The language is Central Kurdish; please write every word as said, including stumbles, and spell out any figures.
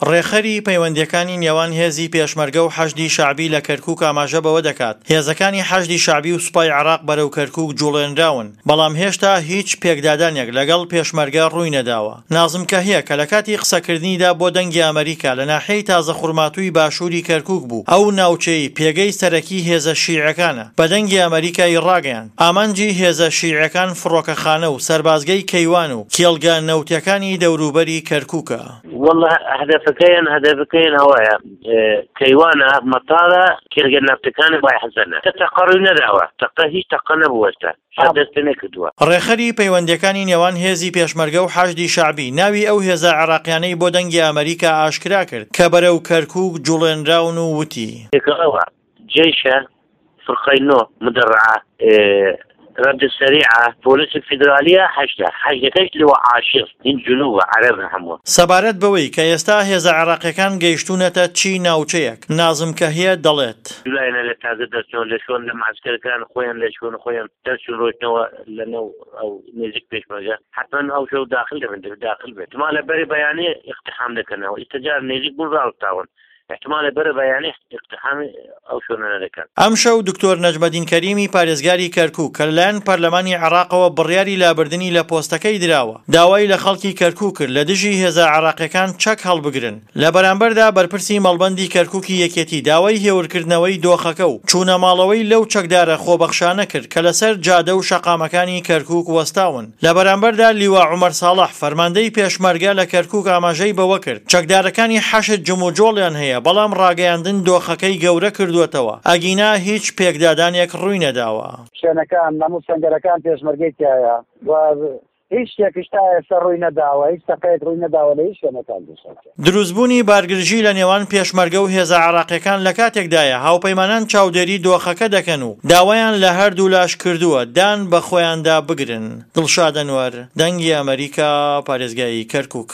ڕێکخەری پەیوەندییەکانی نێوان هێزی پێشمەرگە و حەشدی شەعبی لە کەرکوک ئاماژە بەوە دەکات، هێزەکانی حەشدی شەعبی و سوپای عێراق بەرەو کەرکوک جوڵێنراون، بەڵام هێشتا هیچ پێکدادانێک لەگەڵ پێشمەرگە ڕووینەداوە. نازم کەهیە کە لە کاتی قسەکردنیدا بۆ دەنگی ئەمەریکا لە ناحیەی تازە خورماتووی باشووری کەرکوک بوو، ئەو ناوچەی پێگەی سەرەکی هێزە شیعەکانە، بە دەنگی ئەمەریکای ڕاگەیاند، ئامانجی هێزە شیعەکان فڕۆکەخانە و سەربازگەی کەیوان و کێڵگە نەوتیەکانی دەوروبەری کەرکوکە. والله هەدەفەکەیان هەدەفەکەیان ئەوەیە کەیوانە مەتارە کێڵگە نەفتەکانی بای حەسەنە کە تەقە ڕووی نەداوە، تەقە هیچ تەقە نەبووە ئێستا شەڕ دەست پێ نەکردووە. ڕێکخەری پەیوەندییەکانی نێوان هێزی پێشمەرگە و حەشدی شەعبی ناوی ئەو هێزە عێراقیانەی بۆ دەنگی ئەمەریکا ئاشکرا کرد کە بەرەو کەرکوک جوڵێنراون و وتی. پێکەوە جەیشە فرقەی نۆ مدەڕعە رد سەریعە پۆلیسی فیدرالیە حەشدە حەشدەکەش لوا عاشر هین جنوبە عەرەبن هەموو. سەبارەت بەوەی کە ئێستا هێزە عێراقیەکان گەیشتوونەتە چی ناوچەیەک، نازم کەهیە دەڵێت. دوو لایەنە لە تازە دەرچوون لە شوێن لە معسکەرەکان خۆیان لە شوێن خۆیان دەرچوون ڕۆیشتنەوە لە نێو ئەو نزیک پێشمەرگە حەتمەن ئەو شەو داخل دەبن دەبێت داخل بێت احتمالە بەری بەیانی اقتحام دەکەنەوە ئیستا جار نزیک بوون ڕاوەستاون احتمالە بەرە بەیانی اقتحامی ئەو شوێنانە دەکەن. ئەمشەو دکتۆر نەجمەدین کەریمی پارێزگاری کەرکوک کە لەلایەن پەرلەمانی عێراقەوە بڕیاری لابردنی لە پۆستەکەی دراوە، داوای لە خەڵکی کەرکوک کرد لە دژی هێزە عێراقیەکان چەک هەڵبگرن. لە بەرامبەردا بەرپرسی مەڵبەندی کەرکوکی یەکێتی داوای هێورکردنەوەی دۆخەکە و چوونە ماڵەوەی لەو چەکدارە خۆبەخشانە کرد کە لەسەر جادە و شەقامەکانی کەرکوک وەستاون. لە بەرامبەردا لیوا عومەر ساڵح فەرماندەی پێشمەرگە لە کەرکوک ئاماژەی بەوە کرد چەکدارەکانی حەشد جموجۆڵیان هەیە بەڵام ڕاگەیاندن دۆخەکەی گەورە کردووەتەوە ئەگینا هیچ پێکدادانێک ڕووینەداوە. شوێنەکان هەموو سەنگەرەکان پێشمەرگەی تیایە و هیچ شتێکیش تا ئێستا ڕووی نەداوە، هیچ تەقەیەک ڕووی نەداوە لە هیچ شوێنەکان. دروستبوونی بارگرژی لە نێوان پێشمەرگە و هێزە عێراقیەکان لە کاتێکدایە هاوپەیمانان چاودێری دۆخەکە دەکەن و داوایان لە هەردوولاش کردووە دان بە خۆیاندا بگرن. دڵشاد ئەنوەر، دەنگی ئەمەریکا، پارێزگای کەرکوک.